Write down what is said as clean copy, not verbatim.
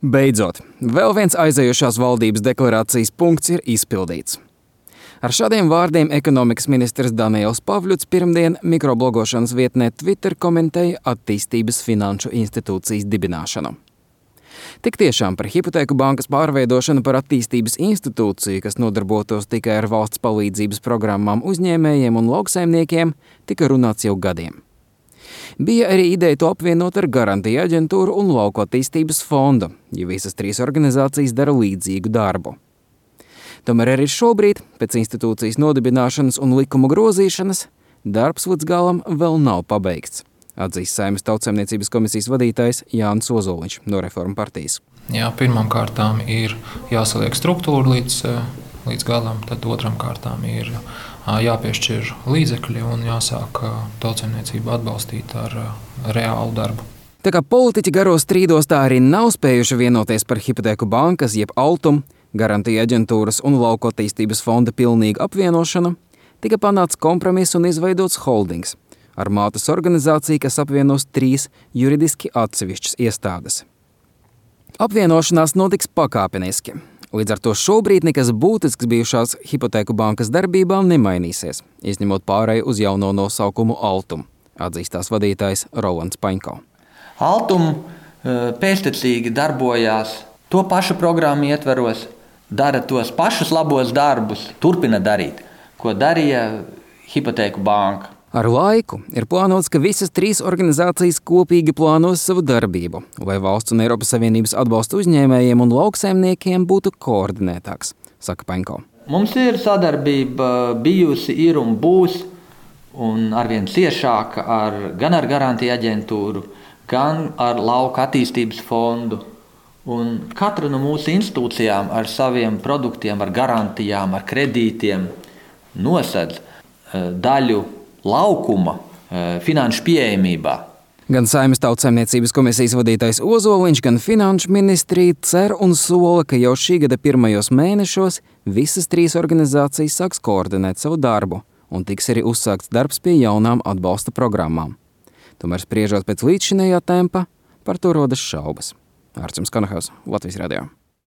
Beidzot, vēl viens aizējušās valdības deklarācijas punkts ir izpildīts. Ar šādiem vārdiem ekonomikas ministrs Daniels Pavļuts pirmdien mikroblogošanas vietnē Twitter komentēja attīstības finanšu institūcijas dibināšanu. Tik tiešām par Hipotēku bankas pārveidošanu par attīstības institūciju, kas nodarbotos tikai ar valsts palīdzības programmām uzņēmējiem un lauksaimniekiem, tika runāts jau gadiem. Bija arī ideja to apvienot ar Garantiju aģentūru un Lauku attīstības fondu, jo visas trīs organizācijas dara līdzīgu darbu. Tomēr arī šobrīd, pēc institūcijas nodibināšanas un likumu grozīšanas, darbs līdz galam vēl nav pabeigts, atzīst Saeimas Tautsaimniecības komisijas vadītājs Jānis Ozoliņš no Reformu partijas. Jā, pirmām kārtām ir jāsaliek struktūra līdz galam, tad otram kārtām ir jāpiešķir līdzekļi un jāsāk tautsaimniecību atbalstīt ar reālu darbu. Tā kā politiķi garos strīdos tā arī nav spējuši vienoties par Hipotēku bankas jeb Altum, Garantiju aģentūras un Lauku attīstības fonda pilnīgu apvienošanu, tika panāts kompromiss un izveidots holdings ar mātes organizāciju, kas apvienos 3 juridiski atsevišķas iestādes. Apvienošanās notiks pakāpeniski. Līdz ar to šobrīd nekas būtisks bijušās Hipotēku bankas darbībām nemainīsies, izņemot pārēju uz jauno nosaukumu Altum, atzīst tās vadītājs Rolands Paņko. Altum pēctecīgi darbojās to pašu programmu ietveros, dara tos pašus labos darbus, turpina darīt, ko darīja Hipotēku banka. Ar laiku ir plānots, ka visas 3 organizācijas kopīgi plānos savu darbību, lai valsts un Eiropas Savienības atbalsta uzņēmējiem un lauksaimniekiem būtu koordinētāks, saka Paņko. Mums ir sadarbība bijusi, ir un būs, un arvien ciešāka gan ar Garantiju aģentūru, gan ar Lauku attīstības fondu. Un katra no mūsu institūcijām ar saviem produktiem, ar garantijām, ar kredītiem nosedz daļu laukuma finanšu pieejamībā. Gan Saeimas Tautsaimniecības komisijas vadītājs Ozoliņš, gan Finanšu ministrija cer un sola, ka jau šī gada pirmajos mēnešos visas 3 organizācijas sāks koordinēt savu darbu un tiks arī uzsākts darbs pie jaunām atbalsta programmām. Tomēr spriežot pēc līdzšinējā tempa, par to rodas šaubas. Ārčuns Kanahaus, Latvijas radio.